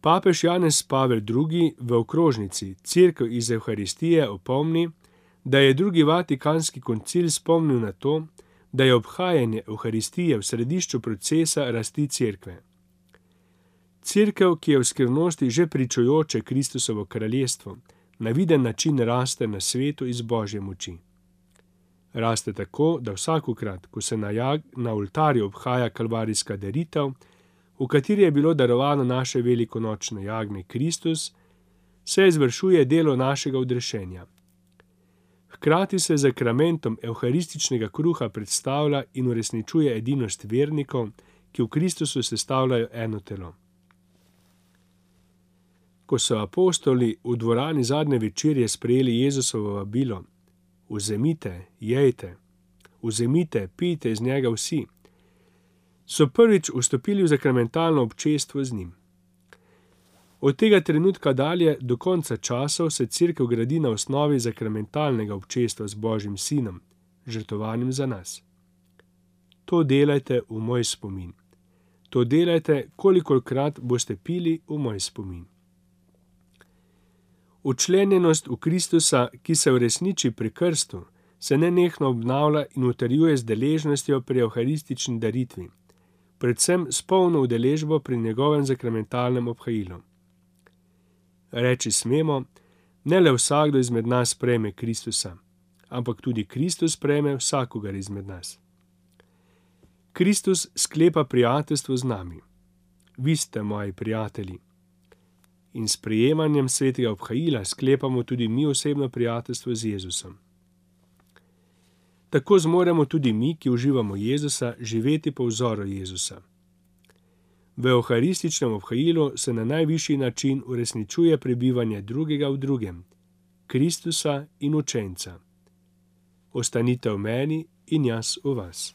Papež Janez Pavel II. V okrožnici Cerkev iz Evharistije opomni, da je drugi vatikanski koncil spomnil na to, da je obhajanje Evharistije v središču procesa rasti Cerkve. Cerkev, ki je v skrivnosti že pričujoče Kristusovo kraljestvo, na viden način raste na svetu iz Božje moči. Raste tako, da vsakokrat, ko se na oltarju obhaja kalvarijska daritev, v kateri je bilo darovano naše velikonočno jagnje Kristus, se izvršuje delo našega odrešenja. Hkrati se z zakramentom evharističnega kruha predstavlja in uresničuje edinost vernikov, ki v Kristusu sestavljajo eno telo. Ko so apostoli v dvorani zadnje večerje sprejeli Jezusovo vabilo: vzemite, jejte, vzemite, pijte iz njega vsi, so prvič vstopili v zakramentalno občestvo z njim. Od tega trenutka dalje do konca časov se Cerkev gradi na osnovi zakramentalnega občestva z Božjim Sinom, žrtvovanim za nas. To delajte v moj spomin. To delajte, kolikokrat boste pili v moj spomin. Učlenjenost v Kristusa, ki se uresniči pri krstu, se nenehno obnavlja in utrjuje z deležnostjo pri evharistični daritvi, predvsem s polno udeležbo pri njegovem zakramentalnem obhajilu. Reči smemo, ne le vsakdo izmed nas prejme Kristusa, ampak tudi Kristus prejme vsakogar izmed nas. Kristus sklepa prijateljstvo z nami. Vi ste moji prijatelji. In s prejemanjem svetega obhajila sklepamo tudi mi osebno prijateljstvo z Jezusom. Tako zmoremo tudi mi, ki uživamo Jezusa, živeti po vzoru Jezusa. V evharističnem obhajilu se na najvišji način uresničuje prebivanje drugega v drugem, Kristusa in učenca. Ostanite v meni in jaz v vas.